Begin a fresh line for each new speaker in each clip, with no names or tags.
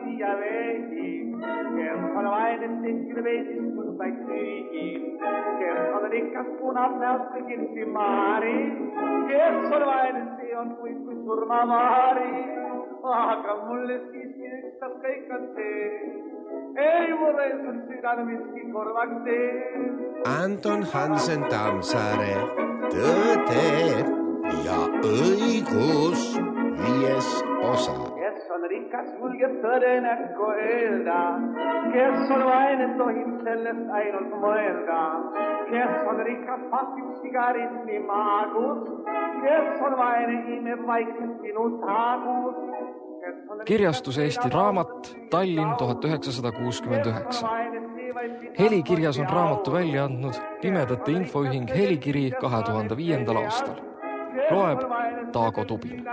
siia veegi, kes on vaene tekkil veesis sundaid süügi, kes on rikas punab näost kui kirsimaari, kes on vaene see on kui surmamaari, aga mulle siiski ükstas kõik on see, ei mulle sul südamestki korvaks see.
Anton Hansen Tammsaare, Tõde ja õigus 5. osa.
Kes on rikas, julgeb tõde näkku öelda, kes on vaene, tohib sellest ainult mõelda, kes on rikas, pasib sigaretti maagus, kes on vaene, imeb vaikselt sinu taagus.
Kirjastus Eesti Raamat, Tallinn 1969. Helikirjas on raamatu välja andnud Pimedate Infoühing Helikiri 2005. aastal. Loeb Taago Tubin.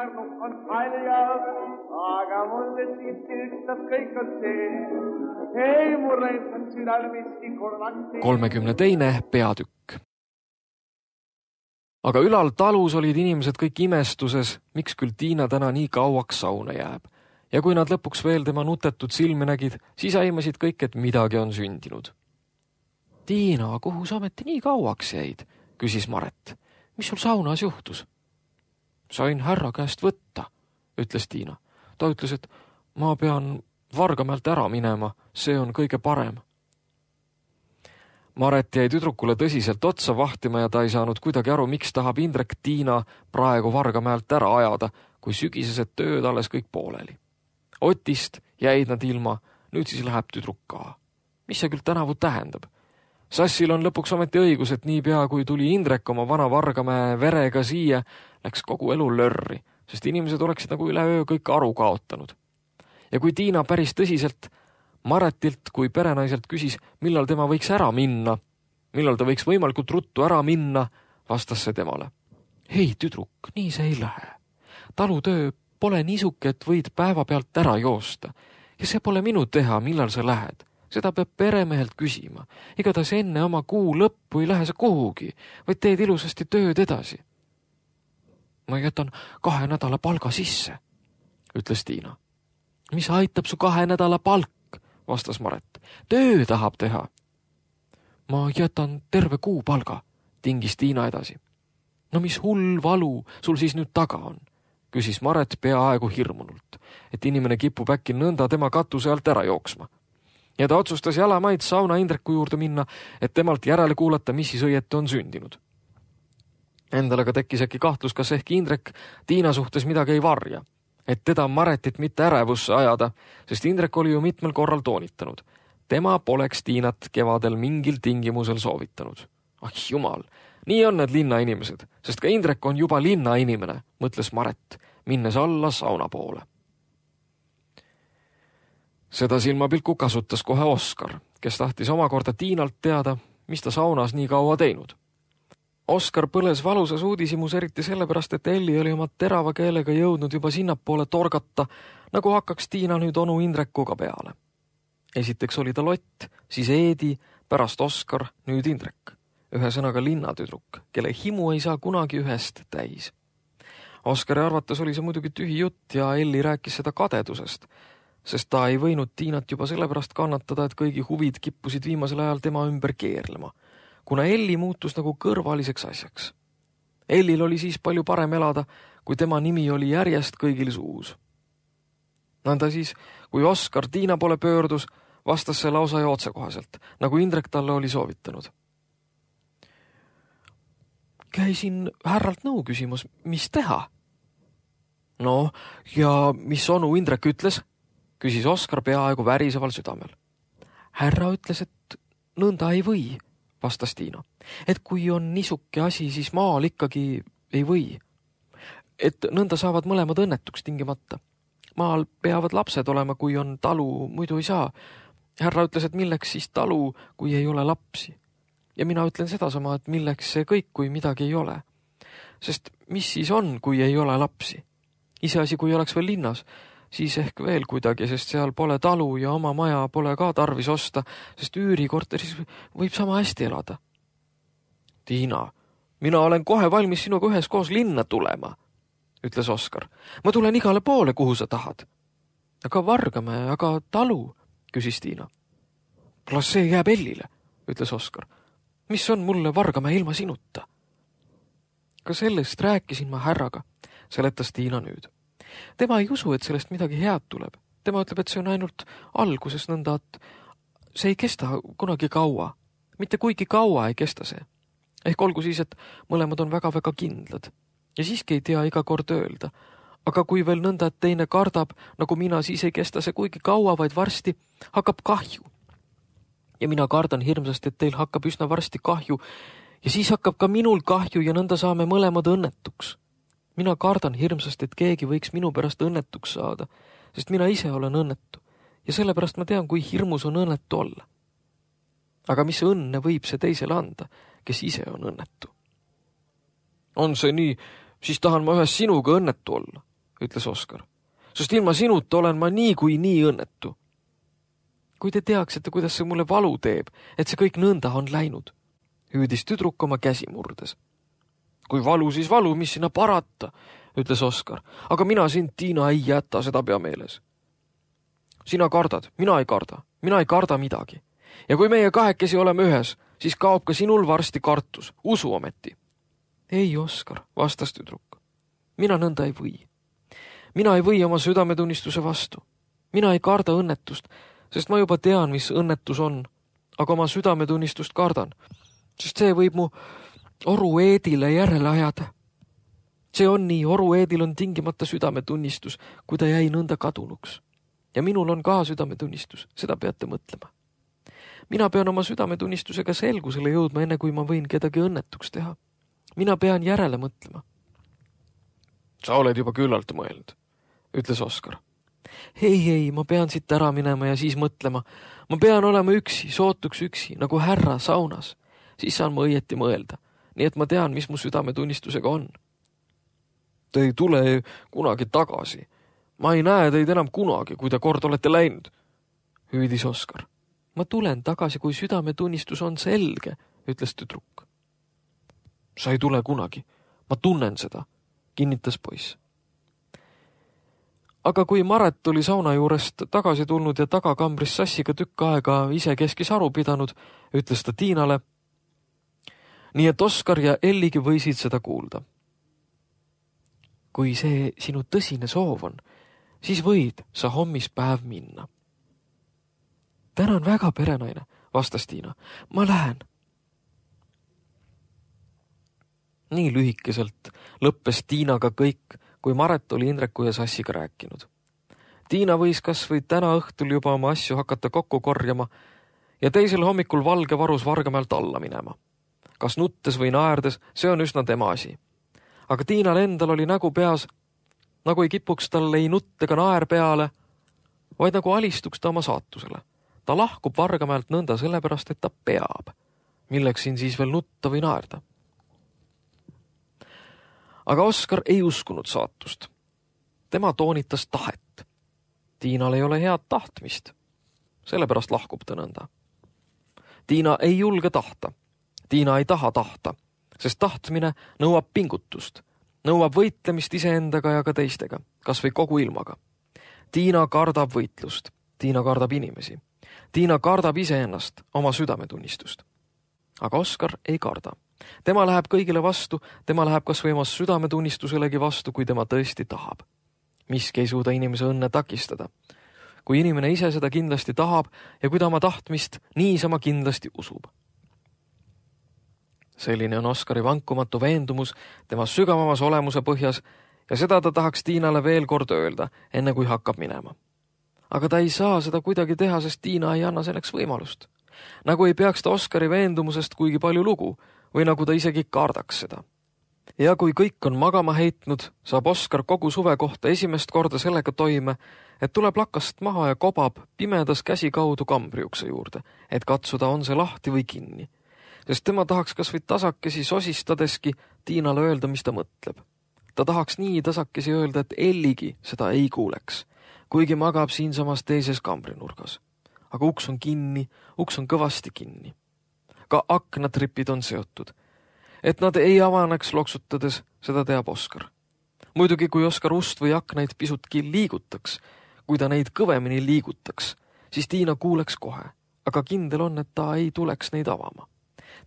Aga mulle siiski ükstas kõik on see, ei mulle on südamestki korvaks see.
32. peatükk. Aga ülal talus olid inimesed kõik imestuses, miks küll Tiina täna nii kauaks sauna jääb. Ja kui nad lõpuks veel tema nutetud silmi nägid, siis aimasid kõik, et midagi on sündinud. Tiina, kuhu sa ometi nii kauaks jäid? Küsis Maret. Mis sul saunas juhtus? Sain härra käest võtta, ütles Tiina. Ta ütles, et ma pean Vargamäelt ära minema, see on kõige parem. Maret jäi tüdrukule tõsiselt otsa vahtima ja ta ei saanud kuidagi aru, miks tahab Indrek Tiina praegu Vargamäelt ära ajada, kui sügisesed tööd alles kõik pooleli. Otist jäid nad ilma, nüüd siis läheb tüdruk ka. Mis see küll tänavu tähendab? Sassil on lõpuks ometi õigus, et niipea kui tuli Indrek oma vana Vargamäe verega siia, läks kogu elu lörri, sest inimesed oleksid nagu üleöö kõik aru kaotanud. Ja kui Tiina päris tõsiselt Maretilt kui perenaiselt küsis, millal tema võiks ära minna, millal ta võiks võimalikult ruttu ära minna, vastas see temale. Hei, tüdruk, nii see ei lähe. Talutöö pole niisuke, et võid päeva pealt ära joosta. Ja see pole minu teha, millal sa lähed. Seda peab peremehelt küsima. Igatahes enne oma kuu lõppu ei lähe sa kuhugi, vaid teed ilusasti tööd edasi. Ma jätan 2 nädala palga sisse, ütles Tiina. Mis aitab su 2 nädala palk? Vastas Maret. Töö tahab teha. Ma jätan terve kuu palga, tingis Tiina edasi. No mis hull valu sul siis nüüd taga on? Küsis Maret peaaegu hirmunult, et inimene kipub äkki nõnda tema katuse alt ära jooksma. Ja ta otsustas jalamaid sauna Indreku juurde minna, et temalt järele kuulata, mis siis õieti on sündinud. Endale ka tekkis äkki kahtlus, kas ehk Indrek Tiina suhtes midagi ei varja, et teda Maretit mitte ärevusse ajada, sest Indrek oli ju mitmel korral toonitanud. Tema poleks Tiinat kevadel mingil tingimusel soovitanud. Ah jumal, nii on need linnainimesed, sest ka Indrek on juba linnainimene, mõtles Maret, minnes alla sauna poole. Seda silmapilku kasutas kohe Oskar, kes tahtis omakorda Tiinalt teada, mis ta saunas nii kaua teinud. Oskar põles valusas uudishimus eriti sellepärast, et Elli oli oma terava keelega jõudnud juba sinnapoole torgata, nagu hakkaks Tiina nüüd onu Indrekuga peale. Esiteks oli ta Lott, siis Eedi, pärast Oskar, nüüd Indrek. Ühesõnaga linnatüdruk, kelle himu ei saa kunagi ühest täis. Oskari arvates oli see muidugi tühi jutt ja Elli rääkis seda kadedusest, sest ta ei võinud Tiinat juba sellepärast kannatada, et kõigi huvid kippusid viimasel ajal tema ümber keerlema, kuna Elli muutus nagu kõrvaliseks asjaks. Ellil oli siis palju parem elada, kui tema nimi oli järjest kõigil suus. Nõnda siis, kui Oskar Tiina poole pöördus, vastas see lausa ja otsekohaselt, nagu Indrek talle oli soovitanud. Käisin härralt nõu küsimus, mis teha? No, ja mis onu Indrek ütles? Küsis Oskar peaaegu väriseval südamel. Härra ütles, et nõnda ei või, vastas Tiina. Et kui on niisuke asi, siis maal ikkagi ei või. Et nõnda saavad mõlemad õnnetuks tingimata. Maal peavad lapsed olema, kui on talu, muidu ei saa. Härra ütles, et milleks siis talu, kui ei ole lapsi. Ja mina ütlen sedasama, et milleks see kõik, kui midagi ei ole. Sest mis siis on, kui ei ole lapsi? Iseasi, kui oleks veel linnas, siis ehk veel kuidagi, sest seal pole talu ja oma maja pole ka tarvis osta, sest üürikorteris võib sama hästi elada. Tiina, mina olen kohe valmis sinuga üheskoos linna tulema, ütles Oskar. Ma tulen igale poole, kuhu sa tahad. Aga Vargamäe, aga talu, küsis Tiina. Las see jääb Ellile, ütles Oskar. Mis on mulle Vargamäe ilma sinuta? Ka sellest rääkisin ma härraga, seletas Tiina nüüd. Tema ei usu, et sellest midagi head tuleb. Tema ütleb, et see on ainult alguses nõnda, et see ei kesta kunagi kaua. Mitte kuigi kaua ei kesta see. Ehk olgu siis, et mõlemad on väga-väga kindlad. Ja siiski ei tea iga kord öelda. Aga kui veel nõnda, et teine kardab, nagu mina, siis ei kesta see kuigi kaua, vaid varsti hakkab kahju. Ja mina kardan hirmsasti, et teil hakkab üsna varsti kahju ja siis hakkab ka minul kahju ja nõnda saame mõlemad õnnetuks. Mina kardan hirmsasti, et keegi võiks minu pärast õnnetuks saada, sest mina ise olen õnnetu ja sellepärast ma tean, kui hirmus on õnnetu olla. Aga mis õnne võib see teisele anda, kes ise on õnnetu? On see nii, siis tahan ma ühes sinuga õnnetu olla, ütles Oskar. Sest ilma sinuta olen ma nii kui nii õnnetu. Kui te teaksite, kuidas see mulle valu teeb, et see kõik nõnda on läinud, hüüdis tüdruk oma käsi murdes. Kui valu, siis valu, mis sinna parata, ütles Oskar. Aga mina sind, Tiina, ei jäta, seda pea meeles. Sina kardad, mina ei karda midagi. Ja kui meie kahekesi oleme ühes, siis kaob ka sinul varsti kartus, usu ometi. Ei, Oskar, vastas tüdruk. Mina nõnda ei või. Mina ei või oma südametunnistuse vastu. Mina ei karda õnnetust, sest ma juba tean, mis õnnetus on, aga oma südametunnistust kardan, sest see võib mu Oru Eedile järele ajada. See on nii, Oru Eedil on tingimata südametunnistus, kui ta jäi nõnda kadunuks. Ja minul on ka südametunnistus, seda peate mõtlema. Mina pean oma südametunnistusega selgusele jõudma, enne kui ma võin kedagi õnnetuks teha. Mina pean järele mõtlema. Sa oled juba küllalt mõelnud, ütles Oskar. Ei, ma pean siit ära minema ja siis mõtlema. Ma pean olema üksi, sootuks üksi, nagu härra saunas. Siis saan ma õieti mõelda. Nii et ma tean, mis mu südametunnistusega on. Te ei tule kunagi tagasi. Ma ei näe teid enam kunagi, kui te kord olete läinud, hüüdis Oskar. Ma tulen tagasi, kui südametunnistus on selge, ütles tüdruk. Sa ei tule kunagi. Ma tunnen seda, kinnitas poiss. Aga kui Maret oli sauna juurest tagasi tulnud ja tagakambris sassiga tükk aega ise keskis aru pidanud, ütles ta Tiinale. Nii et Oskar ja Elligi võisid seda kuulda. Kui see sinu tõsine soov on, siis võid sa hommispäev minna. Tänan väga, perenaine, vastas Tiina. Ma lähen. Nii lühikeselt lõppes Tiinaga kõik, kui Maret oli Indreku ja Sassiga rääkinud. Tiina võis kas või täna õhtul juba oma asju hakata kokku korjama ja teisel hommikul Valge varus Vargamäelt alla minema. Kas nuttes või naerdes, see on üsna tema asi. Aga Tiinal endal oli nägu peas, nagu ei kipuks tal ei nutt ega naer peale, vaid nagu alistuks ta oma saatusele. Ta lahkub Vargamäelt nõnda sellepärast, et ta peab. Milleks siin siis veel nutta või naerda? Aga Oskar ei uskunud saatust. Tema toonitas tahet. Tiinal ei ole head tahtmist. Sellepärast lahkub ta nõnda. Tiina ei julge tahta. Tiina ei taha tahta, sest tahtmine nõuab pingutust. Nõuab võitlemist iseendaga ja ka teistega, kas või kogu ilmaga. Tiina kardab võitlust. Tiina kardab inimesi. Tiina kardab iseennast, oma südametunnistust. Aga Oskar ei karda. Tema läheb kõigile vastu, tema läheb kas või oma südametunnistuselegi vastu, kui tema tõesti tahab. Miski ei suuda inimese õnne takistada. Kui inimene ise seda kindlasti tahab ja kui ta oma tahtmist niisama kindlasti usub. Selline on Oskari vankumatu veendumus tema sügavamas olemuse põhjas ja seda ta tahaks Tiinale veel kord öelda, enne kui hakkab minema. Aga ta ei saa seda kuidagi teha, sest Tiina ei anna selleks võimalust. Nagu ei peaks ta Oskari veendumusest kuigi palju lugu või nagu ta isegi kardaks seda. Ja kui kõik on magama heitnud, saab Oskar kogu suve kohta esimest korda sellega toime, et tuleb lakast maha ja kobab pimedas käsi kaudu kambriukse juurde, et katsuda, on see lahti või kinni. Sest tema tahaks kas või tasakesi sosistadeski Tiinale öelda, mis ta mõtleb. Ta tahaks nii tasakesi öelda, et Elligi seda ei kuuleks, kuigi magab siinsamas teises kambrinurgas. Aga uks on kinni, uks on kõvasti kinni. Ka aknatripid on seotud. Et nad ei avaneks loksutades, seda teab Oskar. Muidugi, kui Oskar ust või aknaid pisutki liigutaks, kui ta neid kõvemini liigutaks, siis Tiina kuuleks kohe, aga kindel on, et ta ei tuleks neid avama.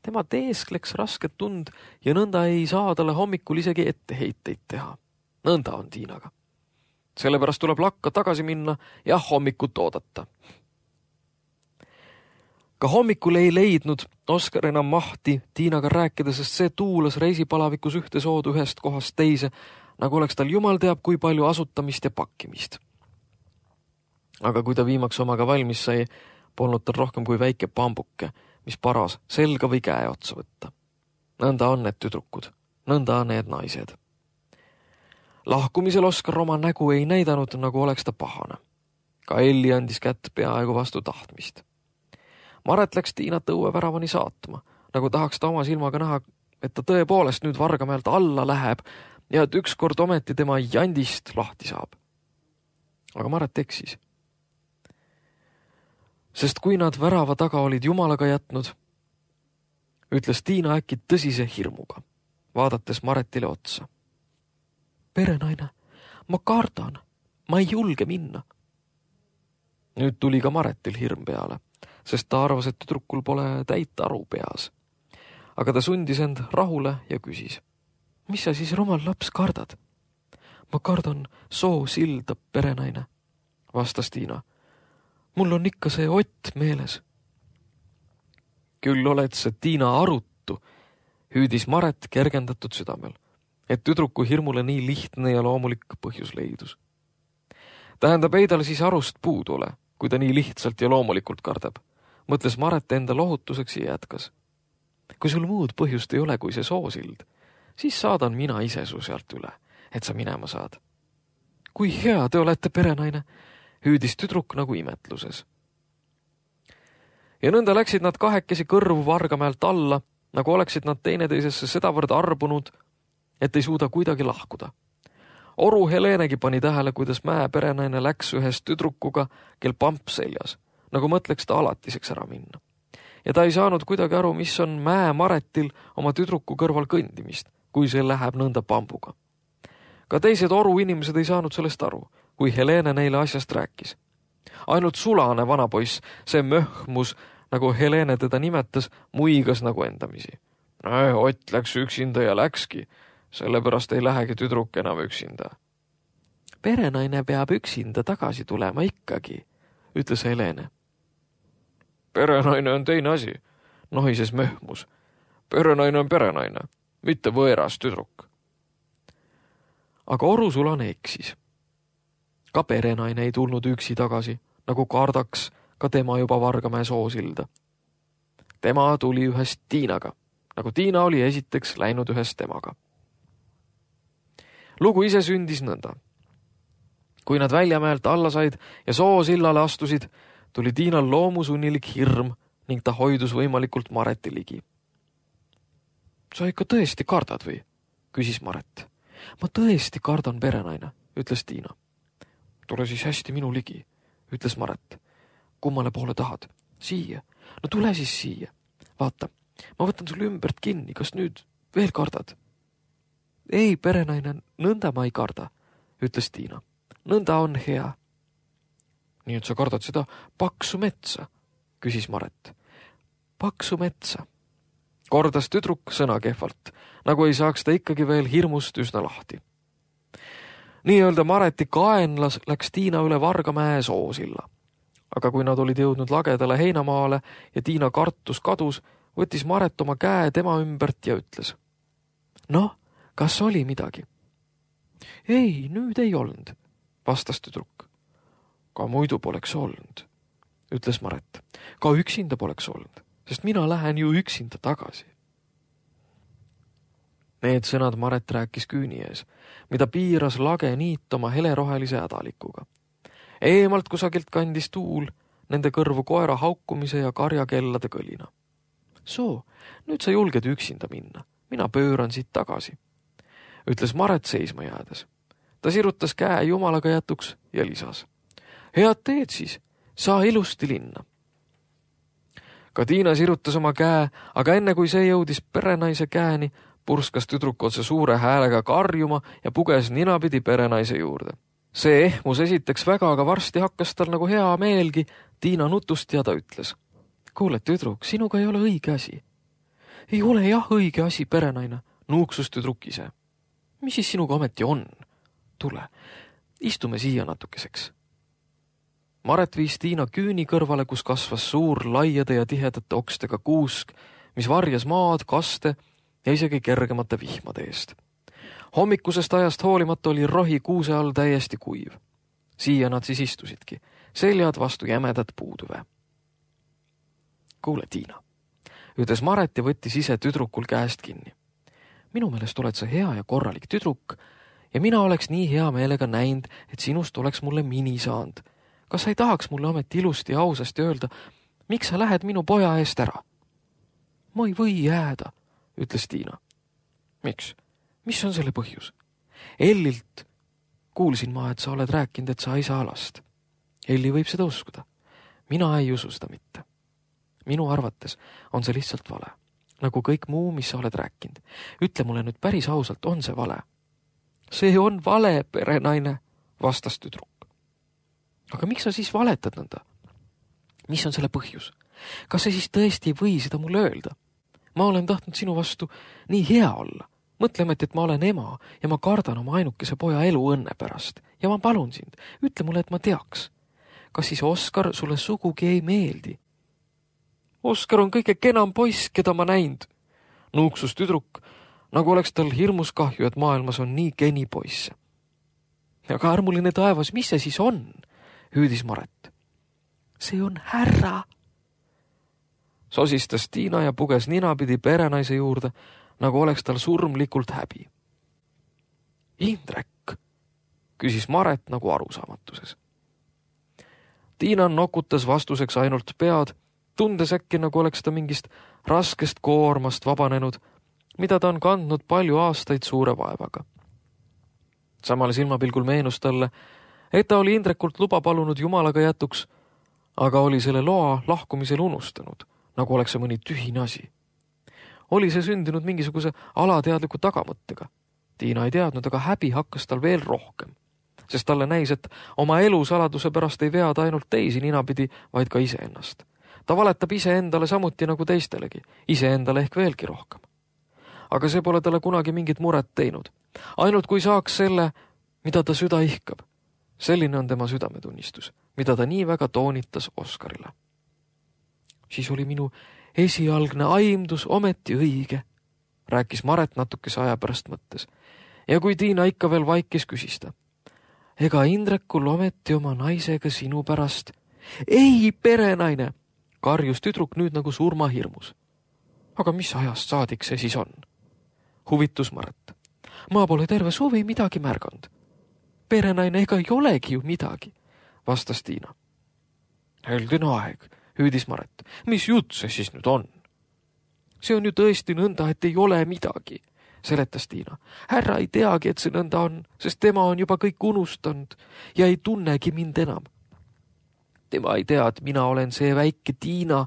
Tema teeskleks rasket tund ja nõnda ei saa talle hommikul isegi etteheiteid teha. Nõnda on Tiinaga. Sellepärast tuleb lakka tagasi minna ja hommikut oodata. Ka hommikul ei leidnud Oskar enam mahti Tiinaga rääkida, sest see tuulas reisipalavikus ühte soodu ühest kohast teise, nagu oleks tal jumal teab kui palju asutamist ja pakkimist. Aga kui ta viimaks omaga valmis sai, polnud tal rohkem kui väike pambuke, mis paras selga või käe otsa võtta. Nõnda on need tüdrukud, nõnda on need naised. Lahkumisel Oskar oma nägu ei näidanud, nagu oleks ta pahane. Ka Elli andis kätt peaaegu vastu tahtmist. Maret läks Tiinat õueväravani saatma, nagu tahaks ta oma silmaga näha, et ta tõepoolest nüüd Vargamäelt alla läheb ja et ükskord ometi tema jandist lahti saab. Aga Maret eksis. Sest kui nad värava taga olid jumalaga jätnud, ütles Tiina äkki tõsise hirmuga, vaadates Maretile otsa. Perenaine, ma kardan, ma ei julge minna. Nüüd tuli ka Maretil hirm peale, sest ta arvas, et tüdrukul pole täit aru peas. Aga ta sundis end rahule ja küsis. Mis sa siis, rumal laps, kardad? Ma kardan soosilda, perenaine, vastas Tiina. Mul on ikka see Ott meeles. Küll oled see Tiina arutu, hüüdis Maret kergendatud südamel, et tüdruku hirmule nii lihtne ja loomulik põhjus leidus. Tähendab, ei tal siis arust puudu ole, kui ta nii lihtsalt ja loomulikult kardab, mõtles Maret enda lohutuseks ja jätkas. Kui sul muud põhjust ei ole kui see soosild, siis saadan mina ise su sealt üle, et sa minema saad. Kui hea te olete, perenaine, hüüdis tüdruk nagu imetluses. Ja nõnda läksid nad kahekesi kõrvu Vargamäelt alla, nagu oleksid nad teineteisesse sedavõrd arbunud, et ei suuda kuidagi lahkuda. Oru Helenegi pani tähele, kuidas Mäe perenaine läks ühes tüdrukuga, kel pamp seljas, nagu mõtleks ta alatiseks ära minna. Ja ta ei saanud kuidagi aru, mis on Mäe Maretil oma tüdruku kõrval kõndimist, kui see läheb nõnda pambuga. Ka teised Oru inimesed ei saanud sellest aru, kui Helene neile asjast rääkis. Ainult sulane vanapoiss, see möhmus, nagu Helene teda nimetas, muigas nagu endamisi. Ott läks üksinda ja läkski, sellepärast ei lähegi tüdruk enam üksinda. Perenaine peab üksinda tagasi tulema ikkagi, ütles Helene. Perenaine on teine asi, nohises möhmus. Perenaine on perenaine, mitte võõras tüdruk. Aga Oru sulane eksis. Ka perenaine ei tulnud üksi tagasi, nagu kardaks ka tema juba Vargamäe soosilda. Tema tuli ühest Tiinaga, nagu Tiina oli esiteks läinud ühest temaga. Lugu ise sündis nõnda. Kui nad Väljamäelt alla said ja soosillale astusid, tuli Tiinal loomusunnilik hirm ning ta hoidus võimalikult Mareti ligi. Sa ikka tõesti kardad või? Küsis Maret. Ma tõesti kardan, perenaine, ütles Tiina. Tule siis hästi minu ligi, ütles Maret. Kummale poole tahad? Siia. No tule siis siia. Vaata, ma võtan sul ümbert kinni, kas nüüd veel kardad? Ei, perenaine, nõnda ma ei karda, ütles Tiina. Nõnda on hea. Nii et sa kardad seda paksu metsa, küsis Maret. Paksu metsa. Kordas tüdruk sõna kehvalt, nagu ei saaks ta ikkagi veel hirmust üsna lahti. Nii-öelda Mareti kaenlas läks Tiina üle Vargamäe soosilla. Aga kui nad olid jõudnud lagedale heinamaale ja Tiina kartus kadus, võttis Maret oma käe tema ümbert ja ütles. Noh, kas oli midagi? Ei, nüüd ei olnud, vastas tüdruk. Ka muidu poleks olnud, ütles Maret. Ka üksinda poleks olnud, sest mina lähen ju üksinda tagasi. Need sõnad Maret rääkis küüni ees, mida piiras lage niit oma helerohelise hädalikuga. Eemalt kusagilt kandis tuul nende kõrvu koera haukumise ja karjakellade kõlina. Soo, nüüd sa julged üksinda minna, mina pööran siit tagasi, ütles Maret seisma jäädes. Ta sirutas käe jumalaga jätuks ja lisas. Head teed siis, saa ilusti linna. Ka Tiina sirutas oma käe, aga enne kui see jõudis perenaise käeni, purskas tüdruk otse suure häälega karjuma ja puges ninapidi perenaise juurde. See ehmus esiteks väga, aga varsti hakkas tal nagu hea meelgi Tiina nutust ja ta ütles. Kuule, tüdruk, sinuga ei ole õige asi. Ei ole jah õige asi, perenaine, nuuksus tüdruk ise. Mis siis sinuga ometi on? Tule, istume siia natukeseks. Maret viis Tiina küüni kõrvale, kus kasvas suur laiade ja tihedate okstega kuusk, mis varjas maad, kaste ja isegi kergemate vihmade eest. Hommikusest ajast hoolimata oli rohi kuuse all täiesti kuiv. Siia nad siis istusidki, seljad vastu jämedat puudüve. Kuule, Tiina, ütles Maret ja võttis ise tüdrukul käest kinni. Minu meelest oled sa hea ja korralik tüdruk ja mina oleks nii hea meelega näinud, et sinust oleks mulle mini saanud. Kas sa ei tahaks mulle ometi ilusti ja ausasti öelda, miks sa lähed minu poja eest ära? Ma ei või jääda, ütles Tiina. Miks? Mis on selle põhjus? Ellilt kuulsin ma, et sa oled rääkinud, et sa ei saa last. Elli võib seda uskuda. Mina ei usu seda mitte. Minu arvates on see lihtsalt vale. Nagu kõik muu, mis sa oled rääkinud. Ütle mulle nüüd päris ausalt, on see vale? See on vale, perenaine, vastas tüdruk. Aga miks sa siis valetad nõnda? Mis on selle põhjus? Kas sa siis tõesti ei või seda mulle öelda? Ma olen tahtnud sinu vastu nii hea olla. Mõtleme, et ma olen ema ja ma kardan oma ainukese poja elu õnne pärast. Ja ma palun sind, ütle mulle, et ma teaks. Kas siis Oskar sulle sugugi ei meeldi? Oskar on kõige kenam poiss, keda ma näinud. Nuuksus tüdruk, nagu oleks tal hirmus kahju, et maailmas on nii geni poisse. Aga armuline taevas, mis see siis on? Hüüdis Maret. See on härra. Sosistas Tiina ja puges ninapidi perenaise juurde, nagu oleks tal surmlikult häbi. Indrek, küsis Maret nagu arusaamatuses. Tiina nokutas vastuseks ainult pead, tundes äkki nagu oleks ta mingist raskest koormast vabanenud, mida ta on kandnud palju aastaid suure vaevaga. Samal silmapilgul meenus talle, et ta oli Indrekult luba palunud jumalaga jätuks, aga oli selle loa lahkumisel unustanud, nagu oleks see mõni tühine asi. Oli see sündinud mingisuguse alateadliku tagamõttega. Tiina ei teadnud, aga häbi hakkas tal veel rohkem, sest talle näis, et oma elu saladuse pärast ei veada ainult teisi ninapidi, vaid ka iseennast. Ta valetab iseendale samuti nagu teistelegi, iseendale ehk veelgi rohkem. Aga see pole talle kunagi mingit muret teinud. Ainult kui saaks selle, mida ta süda ihkab. Selline on tema südametunnistus, mida ta nii väga toonitas Oskarile. Siis oli minu esialgne aimdus ometi õige, rääkis Maret natukese aja pärast mõttes. Ja kui Tiina ikka veel vaikis, küsis ta. Ega Indrekul ometi oma naisega sinu pärast? Ei, perenaine, karjus tüdruk nüüd nagu surmahirmus. Aga mis ajast saadik see siis on? Huvitus Maret. Ma pole terve suvi midagi märganud. Perenaine ega ei olegi ju midagi, vastas Tiina. Heldine aeg, hüüdis Maret. Mis jutt see siis nüüd on? See on ju tõesti nõnda, et ei ole midagi, seletas Tiina. Härra ei teagi, et see nõnda on, sest tema on juba kõik unustanud ja ei tunnegi mind enam. Tema ei tea, et mina olen see väike Tiina,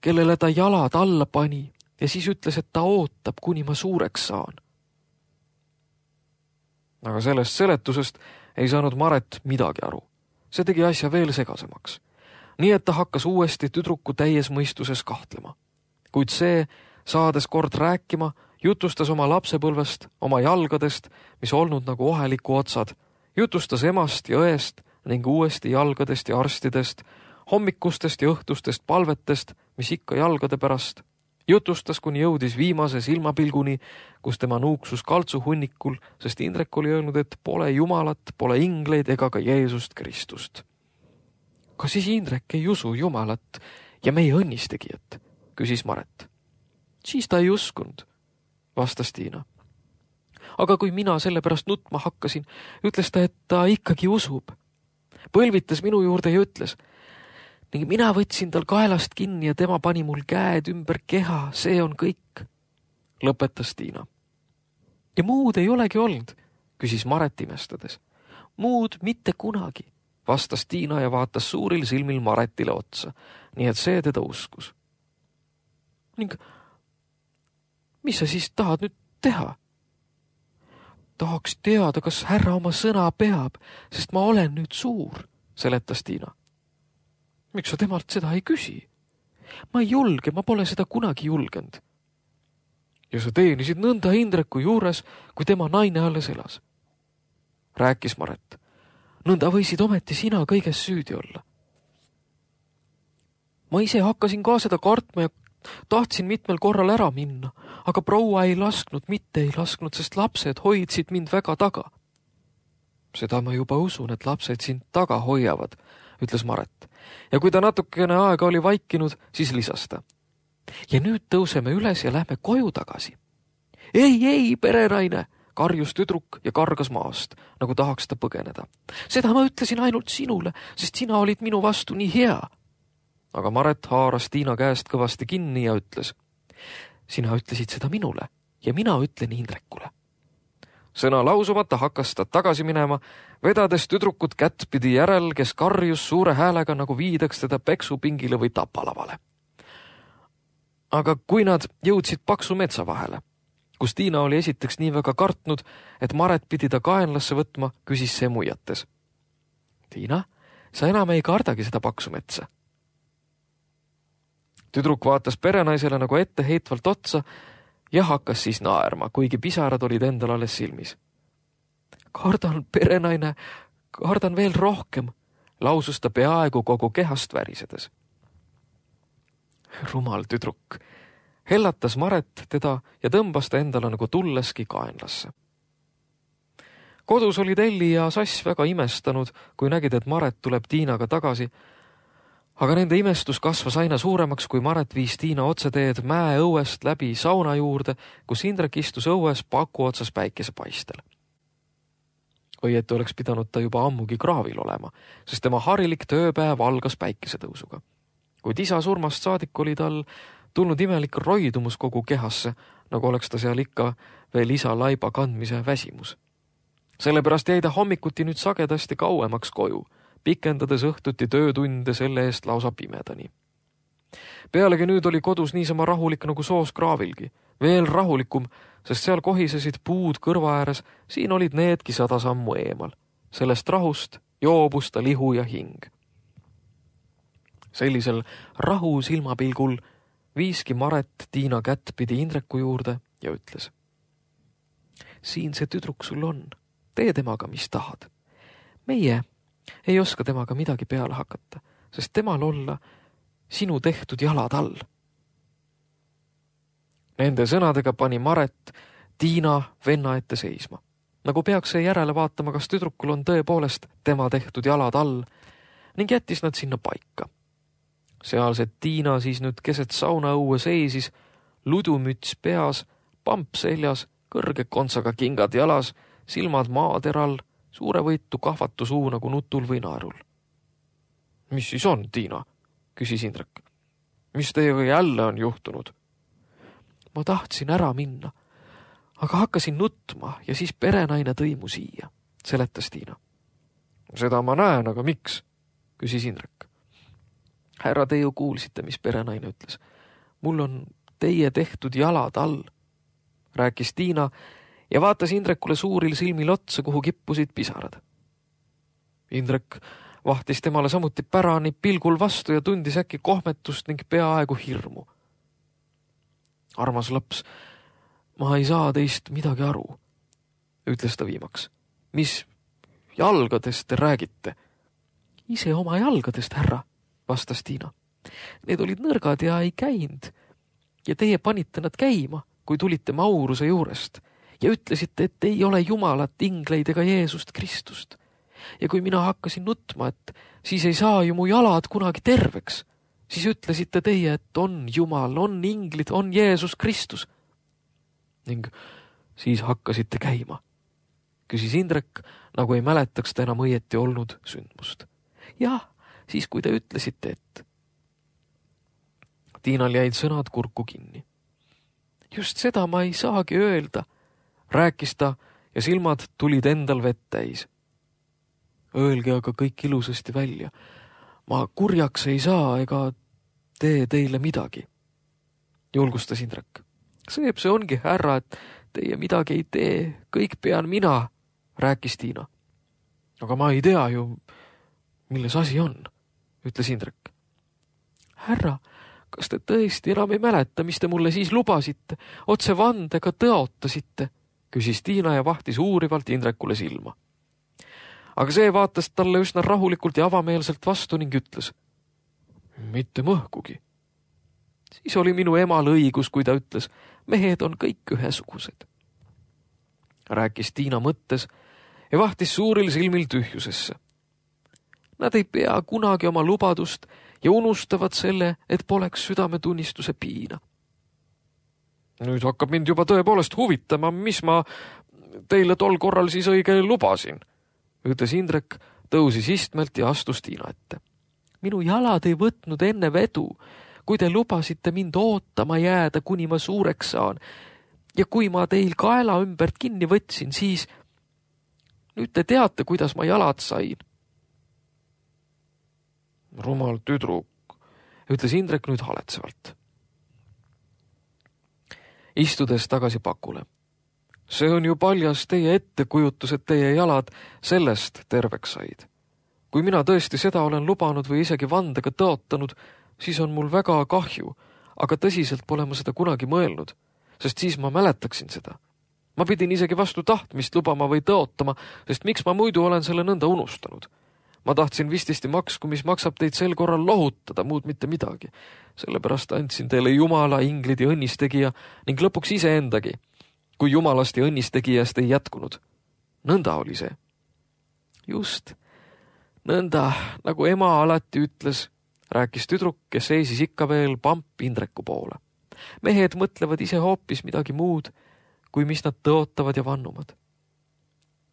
kellele ta jalad alla pani ja siis ütles, et ta ootab, kuni ma suureks saan. Aga sellest seletusest ei saanud Maret midagi aru. See tegi asja veel segasemaks. Nii et ta hakkas uuesti tüdruku täies mõistuses kahtlema. Kuid see, saades kord rääkima, jutustas oma lapsepõlvest, oma jalgadest, mis olnud nagu oheliku otsad, jutustas emast ja õest ning uuesti jalgadest ja arstidest, hommikustest ja õhtustest palvetest, mis ikka jalgade pärast, jutustas, kuni jõudis viimase silmapilguni, kus tema nuuksus kaltsu hunnikul, sest Indrek oli öelnud, et pole Jumalat, pole ingleid ega ka Jeesust Kristust. Kas siis Indrek ei usu Jumalat ja meie õnnistegijat, küsis Maret. Siis ta ei uskunud, vastas Tiina. Aga kui mina selle pärast nutma hakkasin, ütles ta, et ta ikkagi usub. Põlvitas minu juurde ja ütles, ning mina võtsin tal kaelast kinni ja tema pani mul käed ümber keha, see on kõik, lõpetas Tiina. Ja muud ei olegi olnud, küsis Maret imestades. Muud mitte kunagi, vastas Tiina ja vaatas suuril silmil Maretile otsa, nii et see teda uskus. Ning mis sa siis tahad nüüd teha? Tahaks teada, kas härra oma sõna peab, sest ma olen nüüd suur, seletas Tiina. Miks sa temalt seda ei küsi? Ma ei julge, ma pole seda kunagi julgenud. Ja sa teenisid nõnda Indreku juures, kui tema naine alles elas. Rääkis Maret. Nõnda võisid ometi sina kõiges süüdi olla. Ma ise hakkasin ka seda kartma ja tahtsin mitmel korral ära minna, aga proua ei lasknud, sest lapsed hoidsid mind väga taga. Seda ma juba usun, et lapsed sind taga hoiavad, ütles Maret. Ja kui ta natukene aega oli vaikinud, siis lisas ta. Ja nüüd tõuseme üles ja lähme koju tagasi. Ei, perenaine, karjus tüdruk ja kargas maast, nagu tahaks ta põgeneda. Seda ma ütlesin ainult sinule, sest sina olid minu vastu nii hea. Aga Maret haaras Tiina käest kõvasti kinni ja ütles. Sina ütlesid seda minule ja mina ütlen Indrekule. Sõna lausumata hakkas ta tagasi minema, vedades tüdrukut kättpidi järel, kes karjus suure häälega, nagu viidaks teda peksupingile või tapalavale. Aga kui nad jõudsid paksu metsa vahele, kus Tiina oli esiteks nii väga kartnud, et Maret pidi ta kaenlasse võtma, küsis see muiates. Tiina, sa enam ei kardagi seda paksu metsa. Tüdruk vaatas perenaisele nagu etteheitvalt otsa ja hakkas siis naerma, kuigi pisarad olid endal alles silmis. Kardan, perenaine, kardan veel rohkem, lausus ta peaaegu kogu kehast värisedes. Rumal tüdruk, hellatas Maret teda ja tõmbas ta endale nagu tulleski kaenlasse. Kodus olid Elli ja Sass väga imestanud, kui nägid, et Maret tuleb Tiinaga tagasi, aga nende imestus kasvas aina suuremaks, kui Maret viis Tiina otseteed mäe õuest läbi sauna juurde, kus Indrek istus õues paku otsas päikesepaistel. Õieti oleks pidanud ta juba ammugi kraavil olema, sest tema harilik tööpäev algas päikesetõusuga. Kuid isa surmast saadik oli tal tulnud imelik roidumus kogu kehasse, nagu oleks ta seal ikka veel isa laiba kandmise väsimus. Sellepärast jäi ta hommikuti nüüd sagedasti kauemaks koju, pikendades õhtuti töötunde selle eest lausa pimedani. Pealegi nüüd oli kodus niisama rahulik nagu soos kraavilgi, veel rahulikum, sest seal kohisesid puud kõrva ääres, siin olid needki 100 sammu eemal. Sellest rahust joobus ta lihu ja hing. Sellisel rahu silmapilgul viiski Maret Tiina kättpidi Indreku juurde ja ütles. Siin see tüdruk sul on, tee temaga, mis tahad. Meie ei oska temaga midagi peale hakata, sest temal olla sinu tehtud jalad all. Nende sõnadega pani Maret Tiina venna ette seisma, nagu peaks see järele vaatama, kas tüdrukul on tõepoolest tema tehtud jalad all, ning jättis nad sinna paika. Sealsed Tiina siis nüüd keset saunaõue seisis, ludumüts peas, pamp seljas, kõrge kontsaga kingad jalas, silmad maateral, suure võitu kahvatu suu nagu nutul või naerul. Mis siis on, Tiina? Küsis Indrek. Mis teiega jälle on juhtunud? Ma tahtsin ära minna, aga hakkasin nutma ja siis perenaine tõi mu siia, seletas Tiina. Seda ma näen, aga miks? Küsis Indrek. Härra, te ju kuulsite, mis perenaine ütles. Mul on teie tehtud jalad all, rääkis Tiina ja vaatas Indrekule suuril silmil otsa, kuhu kippusid pisarad. Indrek vahtis temale samuti pärani pilgul vastu ja tundis äkki kohmetust ning peaaegu hirmu. Armas laps, ma ei saa teist midagi aru, ütles ta viimaks. Mis jalgadest te räägite? Ise oma jalgadest, härra, vastas Tiina. Need olid nõrgad ja ei käinud. Ja teie panite nad käima, kui tulite Mauruse juurest ja ütlesite, et ei ole Jumalat, ingleid ega Jeesust Kristust. Ja kui mina hakkasin nutma, et siis ei saa ju mu jalad kunagi terveks, siis ütlesite teie, et on Jumal, on inglid, on Jeesus Kristus. Ning siis hakkasite käima, küsis Indrek, nagu ei mäletaks ta enam õieti olnud sündmust. Jah, siis kui te ütlesite, et... Tiinal jäid sõnad kurku kinni. Just seda ma ei saagi öelda, rääkis ta ja silmad tulid endal vett täis. Öelge aga kõik ilusasti välja. Ma kurjaks ei saa ega tee teile midagi, julgustas Indrek. See ongi, härra, et teie midagi ei tee, kõik pean mina, rääkis Tiina. Aga ma ei tea ju, milles asi on, ütles Indrek. Härra, kas te tõesti enam ei mäleta, mis te mulle siis lubasite, otse vandega tõotasite, küsis Tiina ja vahtis uurivalt Indrekule silma. Aga see vaatas talle üsna rahulikult ja avameelselt vastu ning ütles, mitte mõhkugi. Siis oli minu emal õigus, kui ta ütles, mehed on kõik ühesugused. Rääkis Tiina mõttes ja vahtis suuril silmil tühjusesse. Nad ei pea kunagi oma lubadust ja unustavad selle, et poleks südametunnistuse piina. Nüüd hakkab mind juba tõepoolest huvitama, mis ma teile tol korral siis õige lubasin, ütles Indrek, tõusis istmelt ja astus Tiina ette. Minu jalad ei võtnud enne vedu, kui te lubasite mind ootama jääda, kuni ma suureks saan. Ja kui ma teil kaela ümbert kinni võtsin, siis nüüd te teate, kuidas ma jalad sain. Rumal tüdruk, ütles Indrek nüüd haletsevalt. Istudes tagasi pakule. See on ju paljas teie ettekujutus, et teie jalad sellest terveks said. Kui mina tõesti seda olen lubanud või isegi vandega tõotanud, siis on mul väga kahju, aga tõsiselt pole ma seda kunagi mõelnud, sest siis ma mäletaksin seda. Ma pidin isegi vastu tahtmist lubama või tõotama, sest miks ma muidu olen selle nõnda unustanud. Ma tahtsin vististi maksku, mis maksab teid sel korral lohutada, muud mitte midagi. Sellepärast andsin teile Jumala, inglid ja õnnistegija ning lõpuks iseendagi, kui Jumalast ja õnnistegijast ei jätkunud. Nõnda oli see. Just, nõnda, nagu ema alati ütles, rääkis tüdruk, kes seisis ikka veel pamp Indreku poole. Mehed mõtlevad ise hoopis midagi muud, kui mis nad tõotavad ja vannuvad.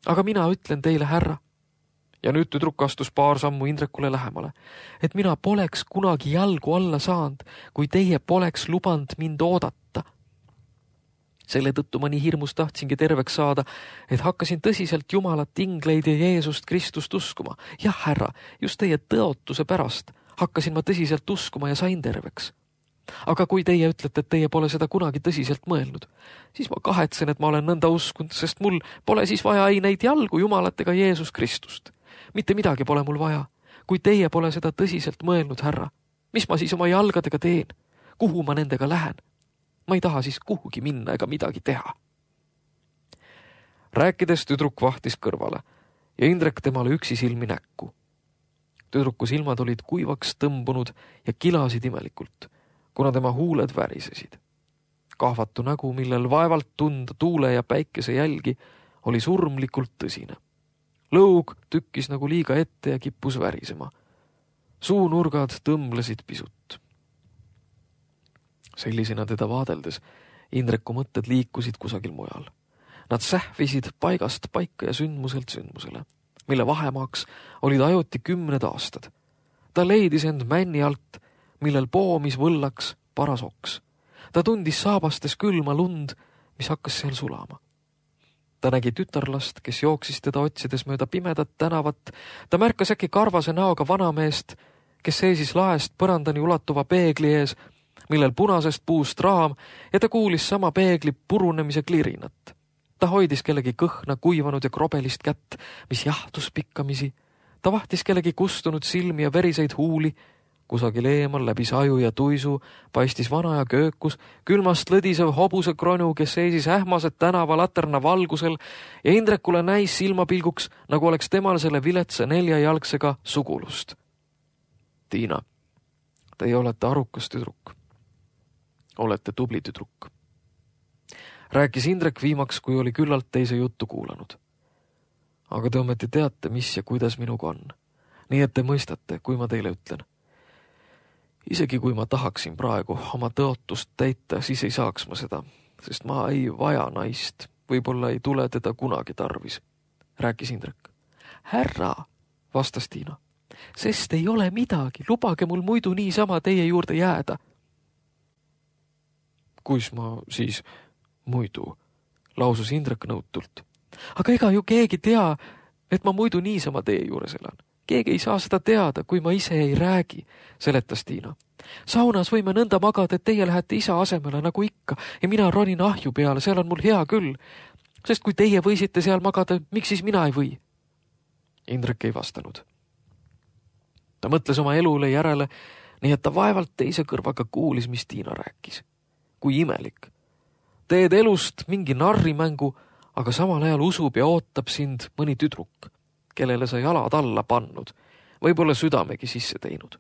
Aga mina ütlen teile, härra, ja nüüd tüdruk astus paar sammu Indrekule lähemale, et mina poleks kunagi jalgu alla saanud, kui teie poleks lubanud mind oodata. Selle tõttu ma nii hirmus tahtsingi terveks saada, et hakkasin tõsiselt Jumalat, ingleid ja Jeesust Kristust uskuma. Jah, härra, just teie tõotuse pärast hakkasin ma tõsiselt uskuma ja sain terveks. Aga kui teie ütlete, et teie pole seda kunagi tõsiselt mõelnud, siis ma kahetsen, et ma olen nõnda uskunud, sest mul pole siis vaja ei neid jalgu Jumalat ega Jeesus Kristust. Mitte midagi pole mul vaja. Kui teie pole seda tõsiselt mõelnud, härra, mis ma siis oma jalgadega teen? Kuhu ma nendega lähen? Ma ei taha siis kuhugi minna ega midagi teha. Rääkides tüdruk vahtis kõrvale ja Indrek temale üksisilmi näkku. Tüdruku silmad olid kuivaks tõmbunud ja kilasid imelikult, kuna tema huuled värisesid. Kahvatu nägu, millel vaevalt tunda tuule ja päikese jälgi, oli surmlikult tõsine. Lõug tükkis nagu liiga ette ja kippus värisema. Suunurgad tõmblesid pisut. Sellisena teda vaadeldes Indreku mõtted liikusid kusagil mujal. Nad sähvisid paigast paika ja sündmuselt sündmusele, mille vahemaaks olid ajuti 10 aastad. Ta leidis end männi alt, millel poomis võllaks paras oks. Ta tundis saabastes külma lund, mis hakkas seal sulama. Ta nägi tütarlast, kes jooksis teda otsides mööda pimedat tänavat. Ta märkas äkki karvase näoga vanameest, kes seisis laest põrandani ulatuva peegli ees, millel punasest puust raam, ja ta kuulis sama peegli purunemise klirinat. Ta hoidis kellegi kõhna, kuivanud ja krobelist kätt, mis jahtus pikkamisi. Ta vahtis kellegi kustunud silmi ja veriseid huuli. Kusagil eemal läbi saju ja tuisu paistis vana ja köökus, külmast lõdisev hobuse kronu, kes seisis ähmased tänava laterna valgusel ja Indrekule näis silmapilguks, nagu oleks temal selle viletsa 4-jalgsega sugulust. Tiina, teie olete arukas tüdruk. Olete tubli tüdruk. Rääkis Indrek viimaks, kui oli küllalt teise juttu kuulanud. Aga te ometi teate, mis ja kuidas minuga on. Nii et te mõistate, kui ma teile ütlen. Isegi kui ma tahaksin praegu oma tõotust täita, siis ei saaks ma seda, sest ma ei vaja naist. Võib-olla ei tule teda kunagi tarvis, rääkis Indrek. Härra, vastas Tiina, sest ei ole midagi, lubage mul muidu niisama teie juurde jääda. Kus ma siis muidu, lausus Indrek nõutult. Aga ega ju keegi tea, et ma muidu niisama teie juures elan. Keegi ei saa seda teada, kui ma ise ei räägi, seletas Tiina. Saunas võime nõnda magada, et teie lähete isa asemele nagu ikka ja mina ronin ahju peale, seal on mul hea küll. Sest kui teie võisite seal magada, miks siis mina ei või? Indrek ei vastanud. Ta mõtles oma elule järele, nii et ta vaevalt teise kõrvaga kuulis, mis Tiina rääkis. Kui imelik. Teed elust mingi narrimängu, aga samal ajal usub ja ootab sind mõni tüdruk, kellele sa jalad alla pannud, võib-olla südamegi sisse teinud.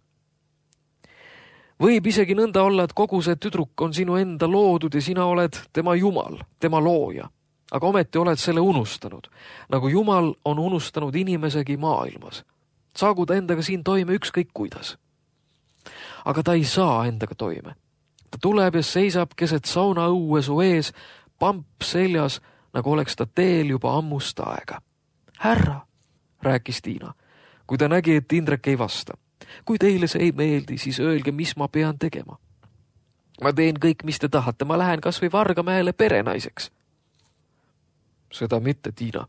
Võib isegi nõnda olla, et kogu see tüdruk on sinu enda loodud ja sina oled tema jumal, tema looja. Aga ometi oled selle unustanud, nagu jumal on unustanud inimesegi maailmas. Saagu ta endaga siin toime ükskõik kuidas. Aga ta ei saa endaga toime. Ta tuleb ja seisab keset saunaõue su ees, pamp seljas, nagu oleks ta teel juba ammust aega. Härra, rääkis Tiina, kui ta nägi, et Indrek ei vasta. Kui teile see ei meeldi, siis öelge, mis ma pean tegema. Ma teen kõik, mis te tahate, ma lähen kas või Vargamäele perenaiseks. Seda mitte, Tiina,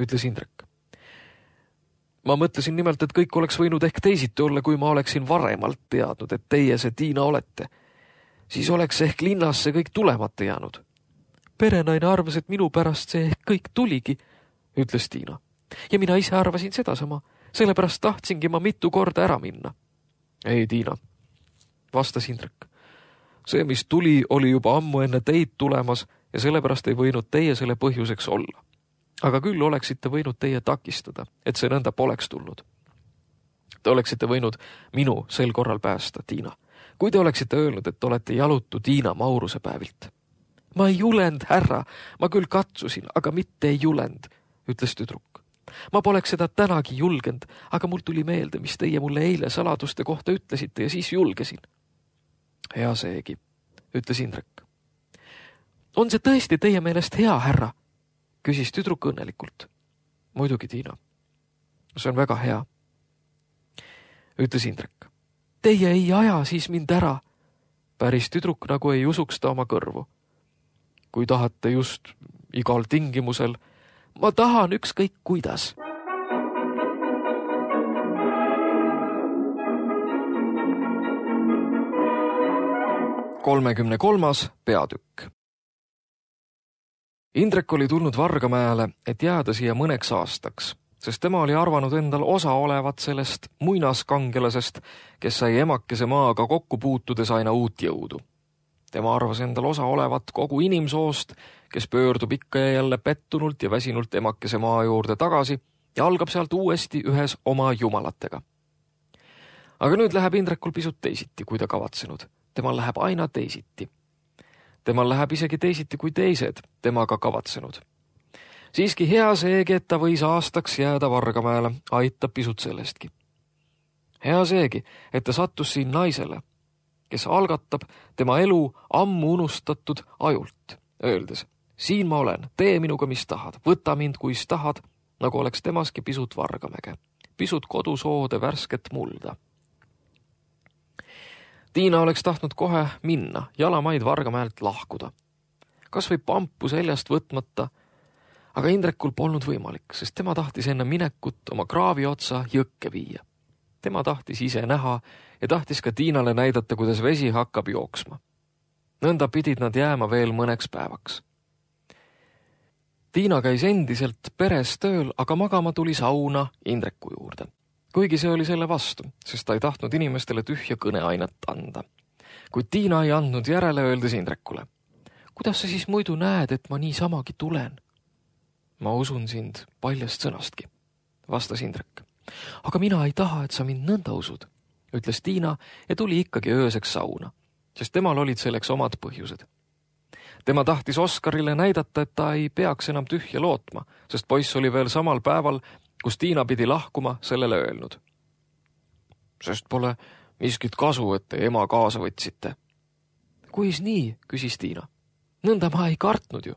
ütles Indrek. Ma mõtlesin nimelt, et kõik oleks võinud ehk teisiti olla, kui ma oleksin varemalt teadnud, et teie see Tiina olete. Siis oleks ehk linnasse kõik tulemata jäänud. Perenaine arvas, et minu pärast see ehk kõik tuligi, ütles Tiina. Ja mina ise arvasin sedasama, sellepärast tahtsingi ma mitu korda ära minna. Ei, Tiina, vastas Indrek. See, mis tuli, oli juba ammu enne teid tulemas ja sellepärast ei võinud teie selle põhjuseks olla. Aga küll oleksite võinud teie takistada, et see nõnda poleks tulnud. Te oleksite võinud minu sel korral päästa, Tiina. Kui te oleksite öelnud, et olete jalutu Tiina Mauruse päevilt. Ma ei julend, härra, ma küll katsusin, aga mitte ei julend, ütles tüdruk. Ma poleks seda tänagi julgend, aga mul tuli meelde, mis teie mulle eile saladuste kohta ütlesite ja siis julgesin. Hea seegi, ütles Indrek. On see tõesti teie meelest hea, härra? Küsis tüdruk õnnelikult. Muidugi, Tiina. See on väga hea, ütles Indrek. Teie ei aja siis mind ära. Päris tüdruk nagu ei usuks ta oma kõrvu. Kui tahate just igal tingimusel, ma tahan ükskõik kuidas. Kolmekümne kolmas peatükk. Indrek oli tulnud Vargamäele, et jääda siia mõneks aastaks, sest tema oli arvanud endal osa olevat sellest muinaskangelasest, kes sai emakese maaga kokku puutudes aina uut jõudu. Tema arvas endal osa olevat kogu inimsoost, kes pöördub ikka ja jälle pettunult ja väsinult emakese maa juurde tagasi ja algab sealt uuesti ühes oma jumalatega. Aga nüüd läheb Indrekul pisut teisiti, kui ta kavatsenud. Temal läheb aina teisiti. Temal läheb isegi teisiti kui teised temaga kavatsenud. Siiski hea seegi, et ta võis aastaks jääda Vargamäele, aitab pisut sellestki. Hea seegi, et ta sattus siin naisele, kes algatab tema elu ammu unustatud ajult, öeldes, siin ma olen, tee minuga mis tahad, võta mind kuis tahad, nagu oleks temaski pisut Vargamäge, pisut kodusoode värsket mulda. Tiina oleks tahtnud kohe minna, jalamaid Vargamäelt lahkuda. Kas või pampu seljast võtmata, aga Indrekul polnud võimalik, sest tema tahtis enne minekut oma kraavi otsa jõkke viia. Tema tahtis ise näha ja tahtis ka Tiinale näidata, kuidas vesi hakkab jooksma. Nõnda pidid nad jääma veel mõneks päevaks. Tiina käis endiselt peres tööl, aga magama tuli sauna Indreku juurde. Kuigi see oli selle vastu, sest ta ei tahtnud inimestele tühja kõneainet anda. Kuid Tiina ei andnud järele, öeldes Indrekule. Kuidas sa siis muidu näed, et ma niisamagi tulen? Ma usun sind paljast sõnastki, vastas Indrek. Aga mina ei taha, et sa mind nõnda usud, ütles Tiina ja tuli ikkagi ööseks sauna, sest temal olid selleks omad põhjused. Tema tahtis Oskarile näidata, et ta ei peaks enam tühja lootma, sest poiss oli veel samal päeval, kus Tiina pidi lahkuma, sellele öelnud. Sest pole miskit kasu, et te ema kaasa võtsite. Kuis nii, küsis Tiina. Nõnda ma ei kartnud ju.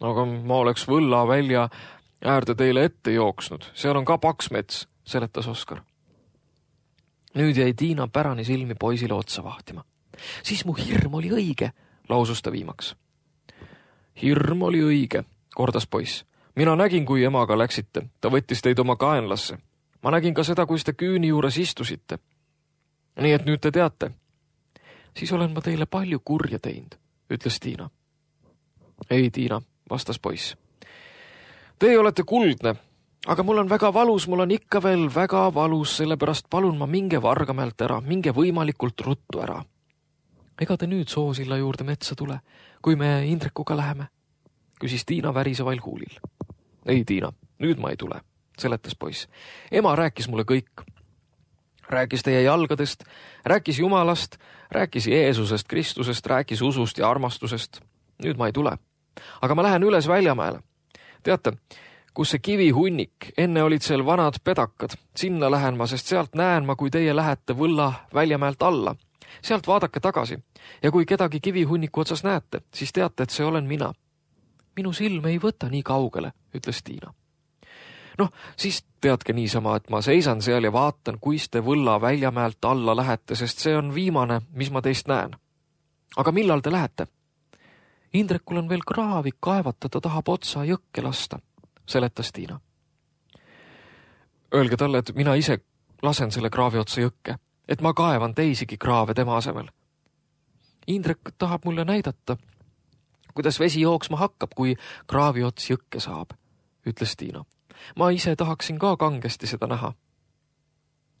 Aga ma oleks võlla välja äärde teile ette jooksnud. Seal on ka paks mets, seletas Oskar. Nüüd jäi Tiina pärani silmi poisile otsa vahtima. Siis mu hirm oli õige, lausus ta viimaks. Hirm oli õige, kordas poiss. Mina nägin, kui emaga läksite. Ta võttis teid oma kaenlasse. Ma nägin ka seda, kui te küüni juures istusite. Nii et nüüd te teate. Siis olen ma teile palju kurja teinud, ütles Tiina. Ei, Tiina, vastas poiss. Teie olete kuldne, aga mul on väga valus, mul on ikka veel väga valus, sellepärast palun ma minge Vargamäelt ära, minge võimalikult ruttu ära. Ega te nüüd Soosilla juurde metsa tule, kui me Indrekuga läheme? Küsis Tiina värisevail huulil. Ei, Tiina, nüüd ma ei tule, seletas poiss. Ema rääkis mulle kõik. Rääkis teie jalgadest, rääkis Jumalast, rääkis Jeesusest, Kristusest, rääkis usust ja armastusest. Nüüd ma ei tule. Aga ma lähen üles Väljamäele. Teate, kus see kivihunnik, enne olid seal vanad pedakad. Sinna lähen ma, sest sealt näen ma, kui teie lähete Võlla Väljamäelt alla. Sealt vaadake tagasi ja kui kedagi kivihunniku otsas näete, siis teate, et see olen mina. Minu silm ei võta nii kaugele, ütles Tiina. Noh, siis teadke niisama, et ma seisan seal ja vaatan, kuis te Võlla Väljamäelt alla lähete, sest see on viimane, mis ma teist näen. Aga millal te lähete? Indrekul on veel kraavik kaevata, ta tahab otsa jõkke lasta, seletas Tiina. Öelge talle, et mina ise lasen selle kraavi otsa jõkke, et ma kaevan teisigi kraave tema asemel. Indrek tahab mulle näidata, kuidas vesi jooksma hakkab, kui kraavi ots jõkke saab, ütles Tiina. Ma ise tahaksin ka kangesti seda näha.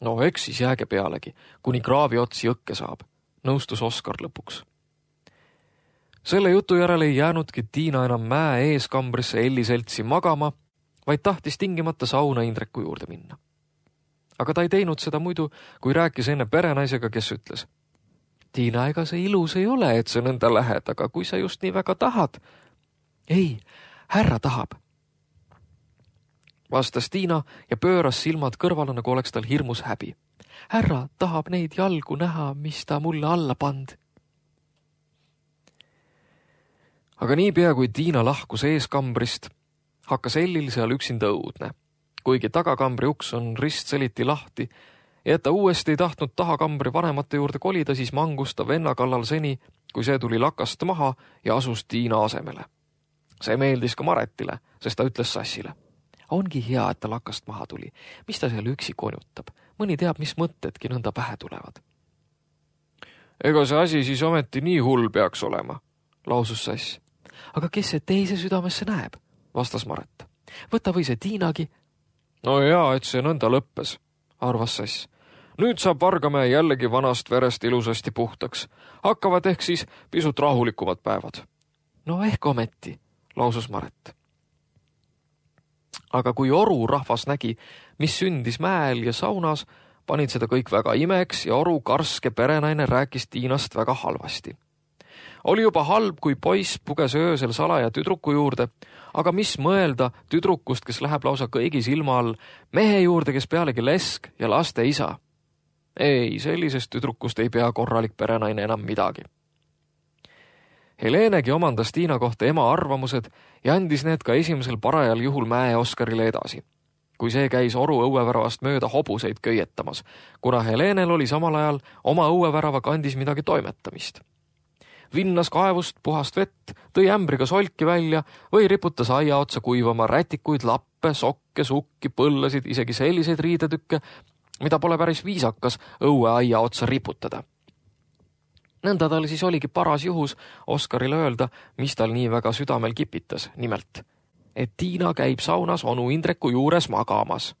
No eks siis jääge pealegi, kuni kraavi ots jõkke saab, nõustus Oskar lõpuks. Selle jutu järel ei jäänudki Tiina enam mäe eeskambrisse Elli seltsi magama, vaid tahtis tingimata sauna Indreku juurde minna. Aga ta ei teinud seda muidu, kui rääkis enne perenaisega, kes ütles. Tiina, ega see ilus ei ole, et sa nõnda lähed, aga kui sa just nii väga tahad. Ei, härra tahab. Vastas Tiina ja pööras silmad kõrvale, nagu oleks tal hirmus häbi. Härra tahab neid jalgu näha, mis ta mulle alla pand. Aga niipea, kui Tiina lahkus eeskambrist, hakkas Ellil seal üksinda õudne. Kuigi tagakambri uks on ristseliti lahti ja et ta uuesti ei tahtnud tahakambri vanemate juurde kolida, siis mangus ta venna kallal seni, kui see tuli lakast maha ja asus Tiina asemele. See meeldis ka Maretile, sest ta ütles Sassile. Ongi hea, et ta lakast maha tuli. Mis ta seal üksi konjutab? Mõni teab, mis mõtedki nõnda pähe tulevad. Ega see asi siis ometi nii hull peaks olema, lausus Sass. Aga kes see teise südamesse näeb, vastas Maret. Võta või see Tiinagi. No jaa, et see nõnda lõppes, arvas Sass. Nüüd saab Vargamäe jällegi vanast verest ilusasti puhtaks. Hakkavad ehk siis pisut rahulikumad päevad. No ehk ometi, lausus Maret. Aga kui Oru rahvas nägi, mis sündis mäel ja saunas, panid seda kõik väga imeks ja Oru karske perenaine rääkis Tiinast väga halvasti. Oli juba halb, kui poiss puges öösel salaja tüdruku juurde, aga mis mõelda tüdrukust, kes läheb lausa kõigi silma all, mehe juurde, kes pealegi lesk ja laste isa. Ei, sellisest tüdrukust ei pea korralik perenaine enam midagi. Helenegi omandas Tiina kohta ema arvamused ja andis need ka esimesel parajal juhul Mäe Oskarile edasi, kui see käis Oru õueväravast mööda hobuseid köietamas, kuna Helenel oli samal ajal oma õuevärava kandis midagi toimetamist. Vinnas kaevust puhast vett, tõi ämbriga solki välja või riputas aia otsa kuivama rätikuid, lappe, sokke, sukki, põllasid, isegi selliseid riidetükke, mida pole päris viisakas õueaia otsa riputada. Nõnda tal siis oligi paras juhus Oskarile öelda, mis tal nii väga südamel kipitas, nimelt, et Tiina käib saunas onu Indreku juures magamas.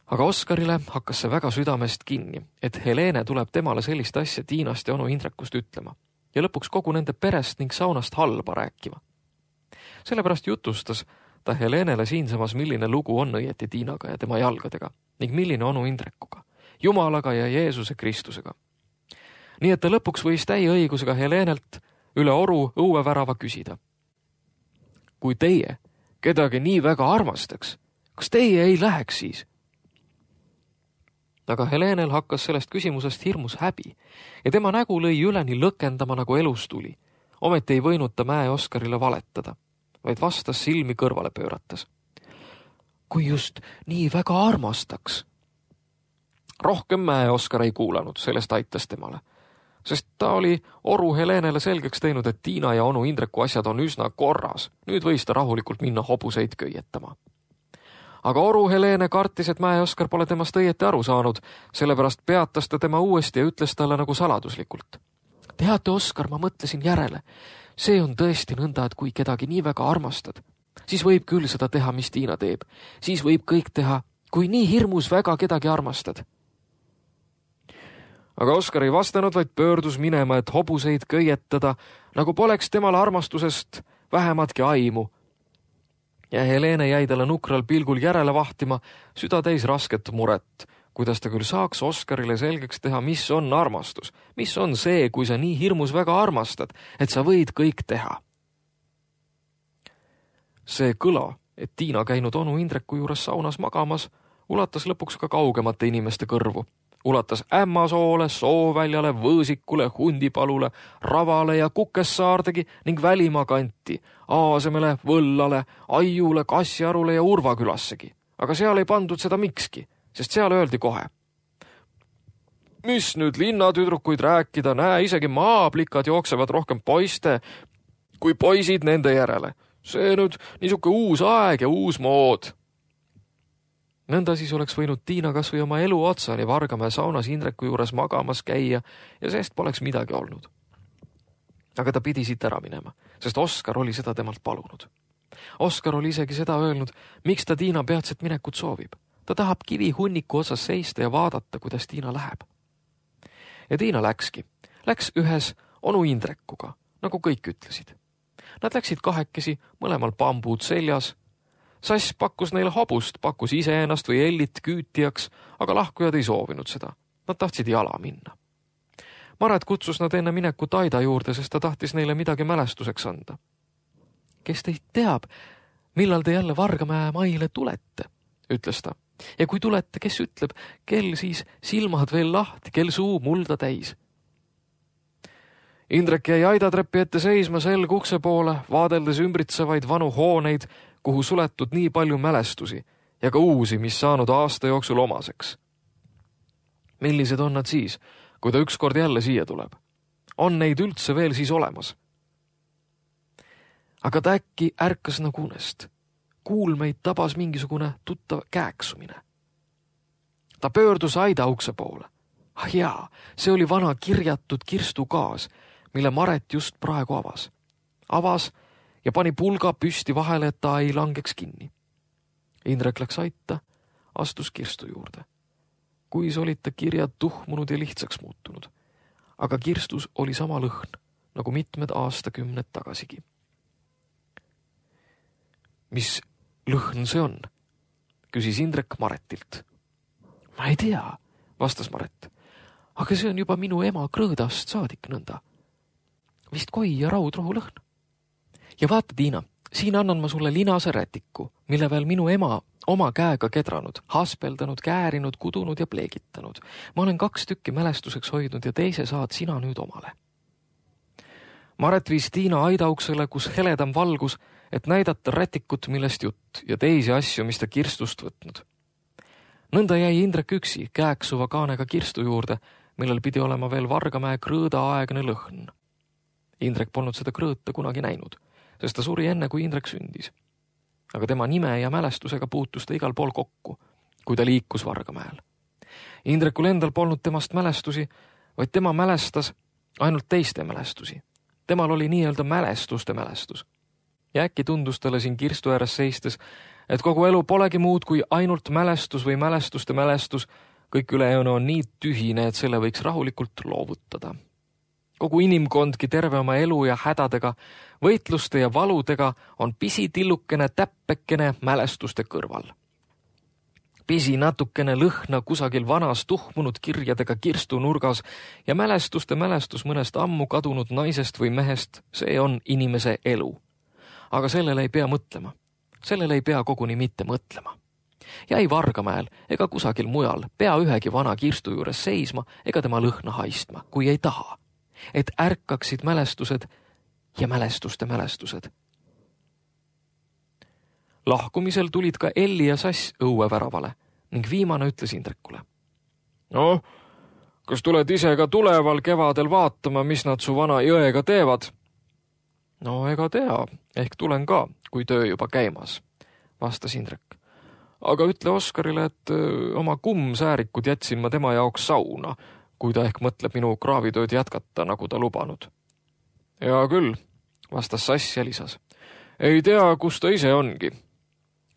Aga Oskarile hakkas see väga südamest kinni, et Helene tuleb temale sellist asja Tiinast ja onu Indrekust ütlema ja lõpuks kogu nende perest ning saunast halba rääkima. Sellepärast jutustas ta Helenele siinsamas, milline lugu on õieti Tiinaga ja tema jalgadega ning milline onu Indrekuga, Jumalaga ja Jeesuse Kristusega. Nii et ta lõpuks võis täie õigusega Helenelt üle Oru õuevärava küsida. Kui teie kedagi nii väga armastaks, kas teie ei läheks siis? Aga Helenel hakkas sellest küsimusest hirmus häbi ja tema nägu lõi üleni lõkendama, nagu elus tuli. Ometi ei võinud ta Mäe Oskarile valetada, vaid vastas silmi kõrvale pöörates. Kui just nii väga armastaks. Rohkem Mäe Oskar ei kuulanud, sellest aitas temale, sest ta oli Oru Helenele selgeks teinud, et Tiina ja onu Indreku asjad on üsna korras. Nüüd võis ta rahulikult minna hobuseid köietama. aga oru Helene kartis, et Mäe-Oskar pole temast õieti aru saanud, sellepärast peatas ta tema uuesti ja ütles talle nagu saladuslikult. Teate, Oskar, ma mõtlesin järele. See on tõesti nõnda, et kui kedagi nii väga armastad, siis võib küll seda teha, mis Tiina teeb. Siis võib kõik teha, kui nii hirmus väga kedagi armastad. Aga Oskar ei vastanud, vaid pöördus minema, et hobuseid köietada, nagu poleks temal armastusest vähematki aimu. Ja Helene jäi talle nukral pilgul järele vahtima, süda täis rasket muret, kuidas ta küll saaks Oskarile selgeks teha, mis on armastus, mis on see, kui sa nii hirmus väga armastad, et sa võid kõik teha. See kõla, et Tiina käinud onu Indreku juures saunas magamas, ulatas lõpuks ka kaugemate inimeste kõrvu. Ulatas Ämmasoole, Sooväljale, Võõsikule, Hundipalule, Ravale ja Kukessaardegi ning Välimaa kanti, Aasemele, Võllale, Aiule, Kassiarule ja Urvakülassegi. Aga seal ei pandud seda mikski, sest seal öeldi kohe. Mis nüüd linnatüdrukuid rääkida, näe, isegi maaplikad jooksevad rohkem poiste kui poisid nende järele. See nüüd niisuke uus aeg ja uus mood. Nõnda siis oleks võinud Tiina kas või oma elu otsani Vargamäe saunas Indreku juures magamas käia ja seest poleks midagi olnud. Aga ta pidi siit ära minema, sest Oskar oli seda temalt palunud. Oskar oli isegi seda öelnud, miks ta Tiina peatset minekut soovib. Ta tahab kivi hunniku otsas seista ja vaadata, kuidas Tiina läheb. Ja Tiina läkski. Läks ühes onu Indrekuga, nagu kõik ütlesid. Nad läksid kahekesi, mõlemal bambuud seljas. Sass pakkus neile hobust, pakkus ise ennast või Ellit küütijaks, aga lahkujad ei soovinud seda. Nad tahtsid jala minna. Maret kutsus nad enne minekut Aida juurde, sest ta tahtis neile midagi mälestuseks anda. Kes teid teab, millal te jälle Vargamäe maile tulete, ütles ta. Ja kui tulete, kes ütleb, kel siis silmad veel lahti, kel suu mulda täis. Indrek jäi Aidatrepi ette seisma selg ukse poole, vaadeldes ümbritsevaid vanu hooneid, kuhu suletud nii palju mälestusi ja ka uusi, mis saanud aasta jooksul omaseks. Millised on nad siis, kui ta ükskord jälle siia tuleb? On neid üldse veel siis olemas? Aga ta äkki ärkas nagu unest. Kuulmeid tabas mingisugune tuttav kääksumine. Ta pöördus Aida ukse poole. Ah jaa, see oli vana kirjatud kirstugaas, mille Maret just praegu avas. Avas ja pani pulga püsti vahele, et ta ei langeks kinni. Indrek läks aita, astus kirstu juurde. Kuis olid ta kirjad tuhmunud ja lihtsaks muutunud. Aga kirstus oli sama lõhn, nagu mitmed aastakümned tagasigi. Mis lõhn see on? Küsis Indrek Maretilt. Ma ei tea, vastas Maret. Aga see on juba minu ema krõõdast saadik nõnda. Vist koi ja raudrohu lõhn. Ja vaata, Tiina, siin annan ma sulle linase rätiku, mille veel minu ema oma käega kedranud, haspeldanud, käärinud, kudunud ja pleegitanud. Ma olen 2 tükki mälestuseks hoidnud ja teise saad sina nüüd omale. Maret viis Tiina aidauksele, kus heledam valgus, et näidata rätikut, millest jutt ja teisi asju, mis ta kirstust võtnud. Nõnda jäi Indrek üksi kääksuva kaanega kirstu juurde, millel pidi olema veel Vargamäe krõõda aegne lõhn. Indrek polnud seda krõõta kunagi näinud, sest ta suri enne, kui Indrek sündis. Aga tema nime ja mälestusega puutus ta igal pool kokku, kui ta liikus Vargamäel. Indrekul endal polnud temast mälestusi, vaid tema mälestas ainult teiste mälestusi. Temal oli nii-öelda mälestuste mälestus. Ja äkki tundus talle siin kirstu ääres seistes, et kogu elu polegi muud kui ainult mälestus või mälestuste mälestus, kõik ülejäänu on nii tühine, et selle võiks rahulikult loovutada. Kogu inimkondki terve oma elu ja hädadega, võitluste ja valudega on pisitillukene täppekene mälestuste kõrval. Pisi natukene lõhna kusagil vanas tuhmunud kirjadega kirstu nurgas ja mälestuste mälestus mõnest ammu kadunud naisest või mehest, see on inimese elu. Aga sellele ei pea mõtlema. Sellele ei pea koguni mitte mõtlema. Ja ei Vargamäel ega kusagil mujal pea ühegi vana kirstu juures seisma ega tema lõhna haistma, kui ei taha. Et ärkaksid mälestused ja mälestuste mälestused. Lahkumisel tulid ka Elli ja Sass õueväravale ning viimane ütles Indrekule. No, kas tuled ise ka tuleval kevadel vaatama, mis nad su vana jõega teevad? No ega tea, ehk tulen ka, kui töö juba käimas, vastas Indrek. aga ütle Oskarile, et oma kummsäärikud jätsin ma tema jaoks sauna, kui ta ehk mõtleb minu kraavitööd jätkata, nagu ta lubanud. Ja küll, vastas Sass ja lisas. Ei tea, kus ta ise ongi.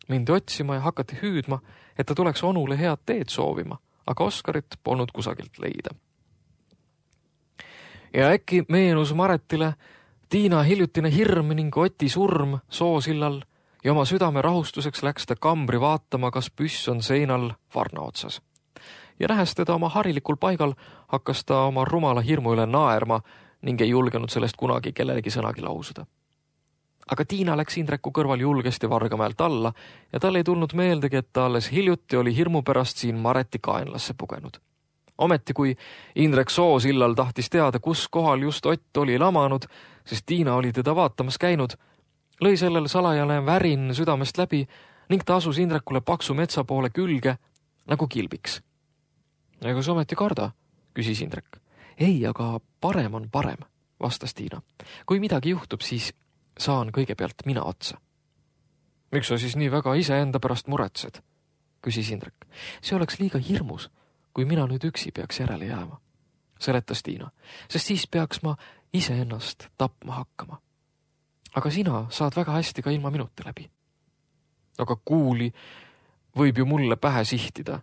Mindi otsima ja hakati hüüdma, et ta tuleks onule head teed soovima, aga Oskarit polnud kusagilt leida. Ja äkki meenus Maretile Tiina hiljutine hirm ning Oti surm soosillal ja oma südame rahustuseks läks ta kambri vaatama, kas püss on seinal varna otsas. Ja nähes teda oma harilikul paigal, hakkas ta oma rumala hirmu üle naerma ning ei julgenud sellest kunagi kellelegi sõnagi lausuda. Aga Tiina läks Indreku kõrval julgesti Vargamäelt alla ja tal ei tulnud meeldegi, et ta alles hiljuti oli hirmu pärast siin Mareti kaenlasse pugenud. Ometi, kui Indrek soosillal tahtis teada, kus kohal just Ott oli lamanud, sest Tiina oli teda vaatamas käinud, lõi sellel salajane värin südamest läbi ning ta asus Indrekule paksu metsa poole külge nagu kilbiks. Ega sa ometi karda, küsis Indrek. Ei, aga parem on parem, vastas Tiina. Kui midagi juhtub, siis saan kõigepealt mina otsa. Miks sa siis nii väga iseenda pärast muretsed, küsis Indrek. See oleks liiga hirmus, kui mina nüüd üksi peaks järele jääma, seletas Tiina, sest siis peaks ma iseennast tapma hakkama. Aga sina saad väga hästi ka ilma minuti läbi. Aga kuuli võib ju mulle pähe sihtida.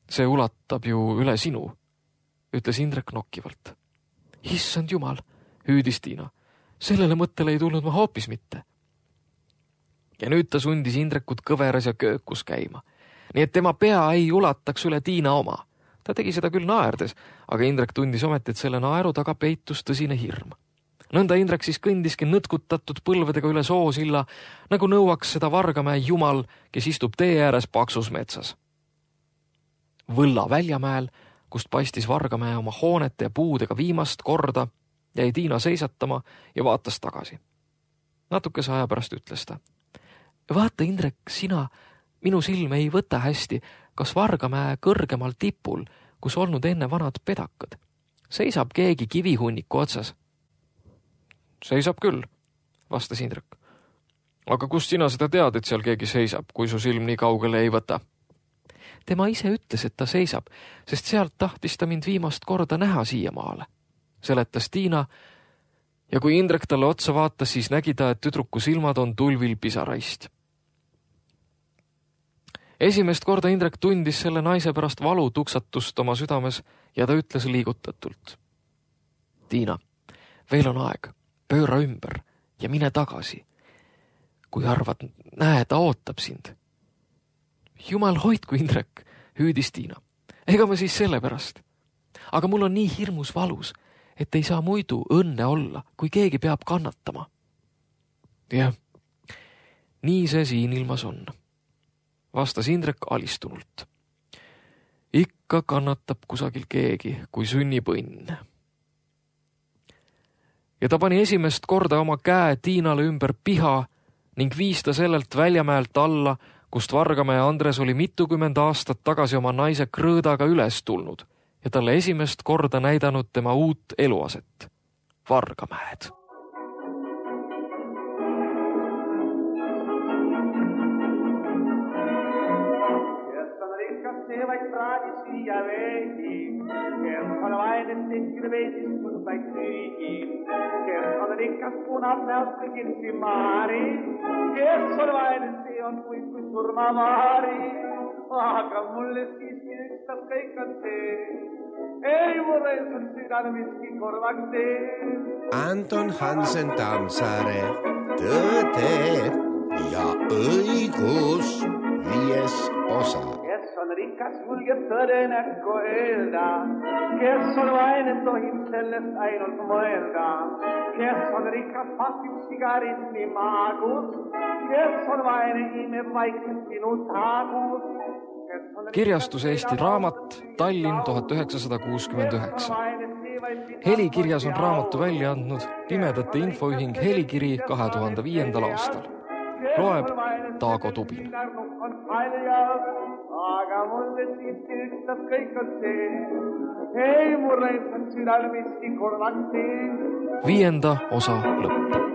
See ulatab ju üle sinu, ütles Indrek nokkivalt. Issand jumal, hüüdis Tiina. Sellele mõttele ei tulnud ma hoopis mitte. Ja nüüd ta sundis Indrekut kõveras ja köökus käima. Nii et tema pea ei ulataks üle Tiina oma. Ta tegi seda küll naerdes, aga Indrek tundis ometi, et selle naeru taga peitus tõsine hirm. Nõnda Indrek siis kõndiski nõtkutatud põlvedega üle soosilla, nagu nõuaks seda Vargamäe jumal, kes istub tee ääres paksus metsas. Võlla väljamäel, kust paistis Vargamäe oma hoonete ja puudega viimast korda, jäi Tiina seisatama ja vaatas tagasi. Natukese aja pärast ütles ta. Vaata, Indrek, sina, minu silme ei võta hästi, kas Vargamäe kõrgemal tipul, kus olnud enne vanad pedakad. Seisab keegi kivihunniku otsas. Seisab küll, vastas Indrek. Aga kust sina seda tead, et seal keegi seisab, kui su silm nii kaugele ei võta? Tema ise ütles, et ta seisab, sest sealt tahtis ta mind viimast korda näha siiamaale, seletas Tiina, ja kui Indrek talle otsa vaatas, siis nägi ta, et tüdruku silmad on tulvil pisaraist. Esimest korda Indrek tundis selle naise pärast valu tuksatust oma südames ja ta ütles liigutatult. Tiina, veel on aeg, pööra ümber ja mine tagasi. Kui arvad, näe, ta ootab sind. Jumal hoidku, Indrek, hüüdis Tiina. Ega ma siis selle pärast. Aga mul on nii hirmus valus, et ei saa muidu õnne olla, kui keegi peab kannatama. Jah, nii see siin ilmas on, vastas Indrek alistunult. Ikka kannatab kusagil keegi, kui sünnib õnn. Ja ta pani esimest korda oma käe Tiinale ümber piha ning viis ta sellelt väljamäelt alla, kust Vargamäe Andres oli mitukümmend aastat tagasi oma naise krõõdaga üles tulnud ja talle esimest korda näidanud tema uut eluaset, Vargamäed.
Vaid praadis viia veegi, kes on vaid, et tekkida veesis mõtlaid süügi, kes on rikas punab näost kõigilsi maari, kes on vaid, et see on kui surmavaari, aga mulle siiski ükstas kõik on see, ei mulle sul südal miski korvaks see.
Anton Hansen Tammsaare, Tõde ja õigus, 5. osa.
On rikas julgeb tõde näkku öelda, kes on vaene, tohib sellest ainult mõelda, kes on rikas pakib sigarismi maagus, kes on vaene, imeb vaikselt sinu taagus.
Kirjastus Eesti Raamat, Tallinn 1969. Helikirjas on raamatu välja andnud Pimedate infoühing Helikiri 2005. aastal. Loeb Taago Tubin.
Aga mulle siiski ükstas kõik on see, ei mulle on südal miski korvaks see.
5. osa lõpp.